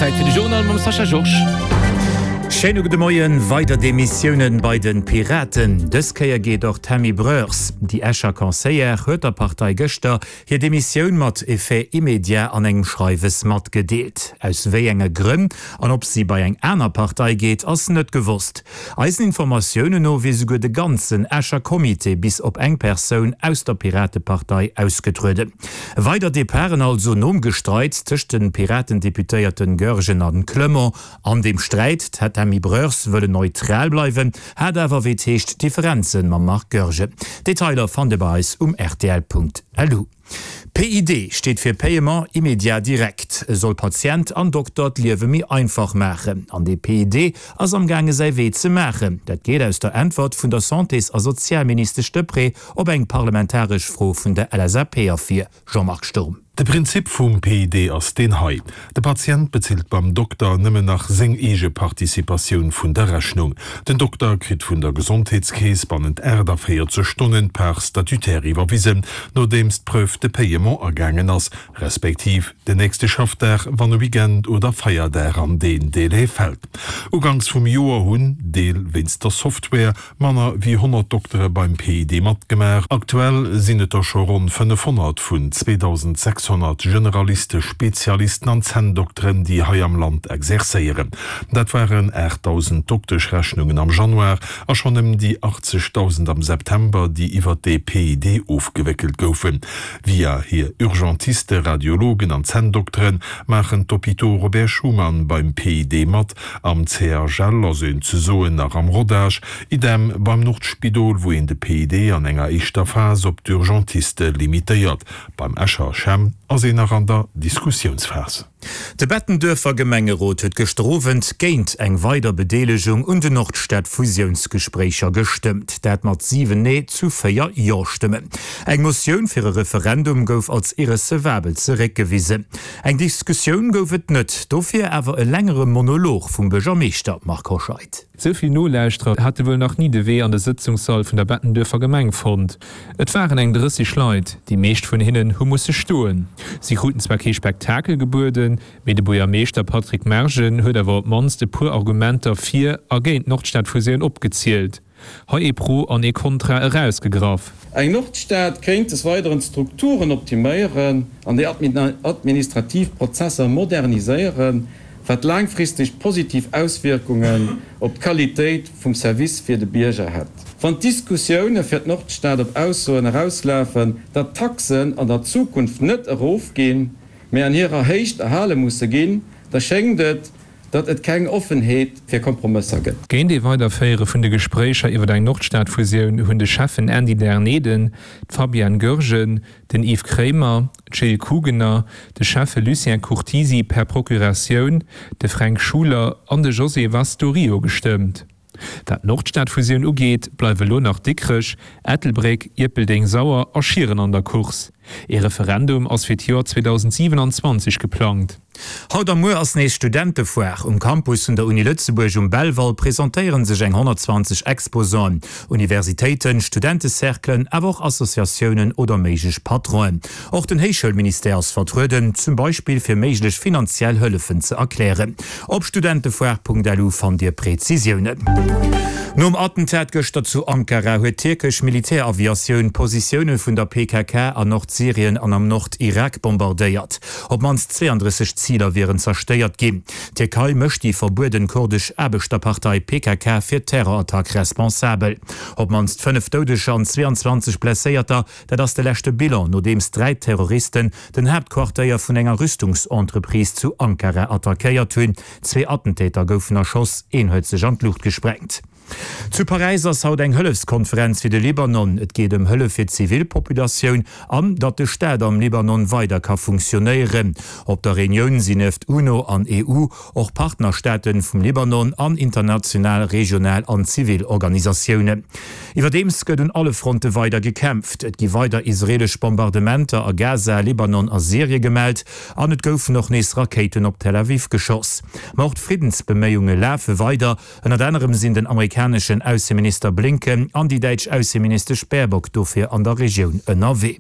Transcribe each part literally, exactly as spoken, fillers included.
Zäit fir de Journal mam Sascha Georges. Schéine gudde Moien. Weider Demissiounen bei den Piraten. Dës Kéier geet och d'Tammy Broers. Déi Escher Conseillère huet der Partei gëschter hir Demissioun mat Effet immédiat an engem Schreiwes matgedeelt. Aus wéi enge Grënn an ob si bei eng aner Partei geet, ass net gewosst. Eisen Informatiounen no wier souguer de ganzen Escher Comité bis op eng Persoun aus der Piratepartei ausgetrueden. Weider Departen also nom Gestreits tëscht de Piraten-Deputéierten Goergen an Clement. An deem Sträit hätt d'Tammy Broers wëllen neutral bleiwen, hat awer wéi et heescht Differenzen mam Marc Goergen. Detailer fannt Dir bei eis um rtl.lu. PID steet fir Paiement immédiat direct. E soll Patient an Dokter d'Liewe méi einfach maachen. An dee PID ass am gaange säi Wee ze maachen. Dat geet aus der Äntwert vun der Santés a Sozialministesch Deprez op eng parlamentaresch Fro vun der LSAP ervir. Jean-Marc Sturm. De Prinzip vum PID ass deen hei, De Patient bezilt beim Dokter nëmmen nach seng eege Participatioun vun der Rechnung. Den Dokter kritt vun der Gesondheetskeess bannent aachtavéierzeg Stonnen d'Part statutaire iwwerwisen, nodeems d'Preuve de paiement agaangen ass, respektiv den nächste Schaffdag, wann e Weekend oder Feierdag an deen Délai fält. Uganks vum Joer hunn, Deel wéinst der Software, manner wéi honnert Doktere beim PID matgemaach. Aktuell sinn et der scho ronn fënnefhonnert vun zweedausendsechshonnert Generaliste, Spezialisten an Zänndokteren, déi hei am Land exerzéieren. Dat waren aachtdausend Dokteschrechnungen am Januar a schonn ëm déi achtzegdausend am September, déi iwwert dee PID ofgewéckelt goufen. Via hir Urgentiste, Radiologen an Zänndoktere maachen d'Hôpitaux Robert Schuman beim PID mat. Am CHL ass een ze soen nach am Rodage. Idem beim Nordspidol, wou een de PID an enger éischter Phas op d'Urgentiste limitéiert. Beim Escher CHEM ass een nach an der Diskussiounsphas. De Bettenduerfer Gemengerot huet gëschter Owend géint eng weider Bedeelegung un den Nordstad-Fusiounsgespréicher gestëmmt. Dat mat siwen Nee zu véier Jo-Stëmmen. Eng Motioun fir e Referendum gouf als irrecevabel zeréckgewisen. Eng Diskussioun gouf et net, dofir awer e längere Monolog vum Buergermeeschter Marc Hoscheid. Sou vill Nolauschterer hate wuel nach ni de Wee an de Sëtzungssall vun der Bettenduerfer Gemeng fonnt. Et waren eng drësseg Leit, déi meescht vun hinnen hu musse stoen. Si kruten zwar kee Spektakel gebueden, mee de Buergermeeschter Patrick Mergen huet awer op d'mannst e puer Argumenter fir a géint d'Nordstadfusioun opgezielt. Hei ee Pro an ee Kontra erausgegraff. Eng Nordstad kéint des Weideren d'Strukturen optiméieren an déi administrativ Prozesser moderniséieren, wat laangfristeg positiv Auswierkungen op d'Qualitéit vum Service fir de Bierger hätt. Wann d'Diskussioune fir d'Nordstad op Aussoen erauslafen, datt d'Taxen an der Zukunft net erofginn, mä an hirer Héicht erhale musse ginn, da schéngt et, datt et keng Offenheet fir Kompromësser gëtt. Géint ee Weiderféiere vun de Gespréicher iwwer eng Nordstad-Fusioun hunn de Schäffen Andy Derneden, d'Fabienne Goergen, den Yves Kremer, d'Jill Kugener, de Schäffe Lucien Curtisi per Procuratioun, de Fränk Schuler an de José Vaz do Rio gestëmmt. Wat d'Nordstad-Fusioun ugeet, bleiwe lo nach Dikrech, Ettelbréck, Ierpeldeng, Sauer a Schieren an der Course. Ee Referendum ass fir d'Joer zweedausendsiewenanzwanzeg geplangt. Haut a muer ass nees Studentefoire. Um Campus vun der Uni Lëtzebuerg um Belval presentéiere sech eng honnertzwanzeg Exposanten, Universitéiten, Studentecerclen, awer och Associatiounen oder méiglech Patronen. Och den Héichschoulministère ass vertrueden, zum Beispill fir méiglech finanziell Hëllefen ze erklären. Op studentefoire.lu fannt Dir Präzisiounen. Nom Attentat gëschter zu Ankara huet d'tierkesch Militäraviatioun Positioune vun der P K K an Nordsyrien an am Nord-Irak bombardéiert. Op d'mannst zweeandrësseg Ziler wieren zerstéiert ginn. D'Tierkei mécht déi verbueden kurdesch Aarbechterpartei P K K fir d'Terrorattack responsabel. Op d'mannst fënnef Doudeger an zweeanzwanzeg Blesséierter, dat ass de leschte Bilan, nodeems dräi Terroristen den Haaptquartéier vun enger Rüstungsentreprise zu Ankara attackéiert hunn. Zwee Attentäter goufen erschoss, een huet sech an d'Luucht gesprengt. Zu Paräis ass haut eng Hëllefskonferenz fir de Libanon. Et geet ëm Hëllef fir d'Zivilpopulatioun an datt de Staat am Libanon weider ka funktionéieren. Op der Reunioun sinn nieft UNO an E U och Partnerstaate vum Libanon an international, regional an zivil Organisatiounen. Iwwerdeems gëtt un alle Fronte weider gekämpft. Et gi weider israeelesch Bombardementer a Gaza, Libanon a Syrie gemellt an et goufen och nees Rakéiten op Tel Aviv geschoss. Ma och d'Friddensbeméiunge lafe weider. Ënnert anerem sinn den amerikaneschen Ausseminister Blinken an déi däitsch Ausseministesch Baerbock dofir an der Regioun ënnerwee.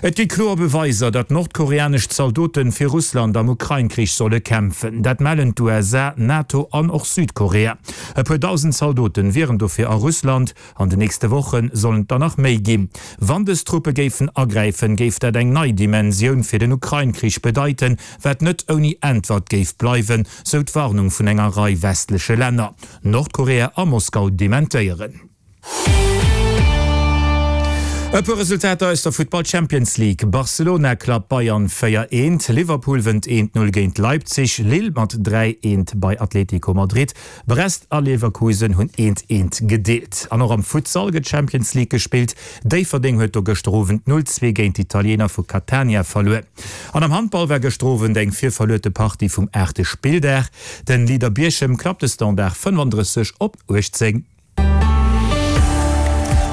Et gi kloer Beweiser, datt nordkoreanesch Zaldoten fir Russland am Ukrain-Krich solle kämpfen. Dat mellen d'USA, NATO an och Südkorea. E puer dausend Zaldoten wieren dofir a Russland. An den nächste Woche sollen et der nach méi ginn. Wann dës Truppe géifen agräifen, géif dat eng nei Dimensioun fir den Ukrain-Krich bedeiten, wat net ouni Äntwert géif bleiwen, sou d'Warnung vun enger Rei westleche Länner. Nordkorea a Moskau dementéieren. E puer Resultater aus der Futtball Champions League, Barcelona klappt Bayern véier eent, Liverpool wënnt eent Null géint Leipzig, Lille mat dräi eent bei Atlético Madrid, Brest a Leverkusen hunn eent eent gedeelt. An och am Futsal gëtt Champions League gespillt, Déifferdeng huet do gëschter Owend null zwee géint d'Italiener vu Catania verluer. An am Handball war gëschter Owend eng virverluerte Partie vum aachte Spilldag. Den Leader Bierchem klappt de Standard fënnefandrësseg op uechtzéng.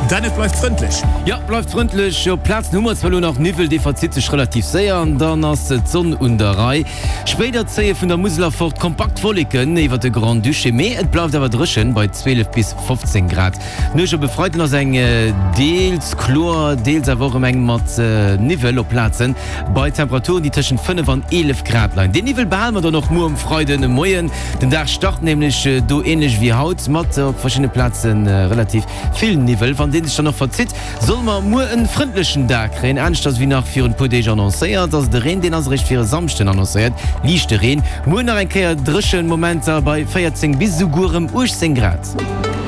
Dan, et bleift frëndlech. Jo, bleift frëndlech. Op Plazen hu mer zwar elo nach Niwwel, dee verzitt sech relativ séier an dann ass d'Sonn un der Rei. Spéider zéie vun der Musel erfort kompakt Wolleken iwwert de Grand-Duché, mee et bleift awer dréchen bei zwielef bis fofzéng Grad. D'Nuecht op e Freiden ass eng deels kloer, deels awer och erëm eng mat Niwwel op Plazen, bei Temperaturen, déi tëschent fënnef an eelef Grad leien. Deen Niwwel behale mer dann och muer um Freidemoien. Den Dag start nämlech do änlech wéi haut mat op verschiddene Plaze relativ vill Niwwel. Wann deen sech dann och verzitt, solle mer muer en frëndlechen Dag kréien. Aneschters wéi nach virun puer Deeg annoncéiert, ass de Reen, deen ass eréischt fir e Samschden annoncéiert. Liichte Reen, muer nach eng Kéier dréchen Momenter bei véierzéng bis esouguer erëm uechtzéng Grad.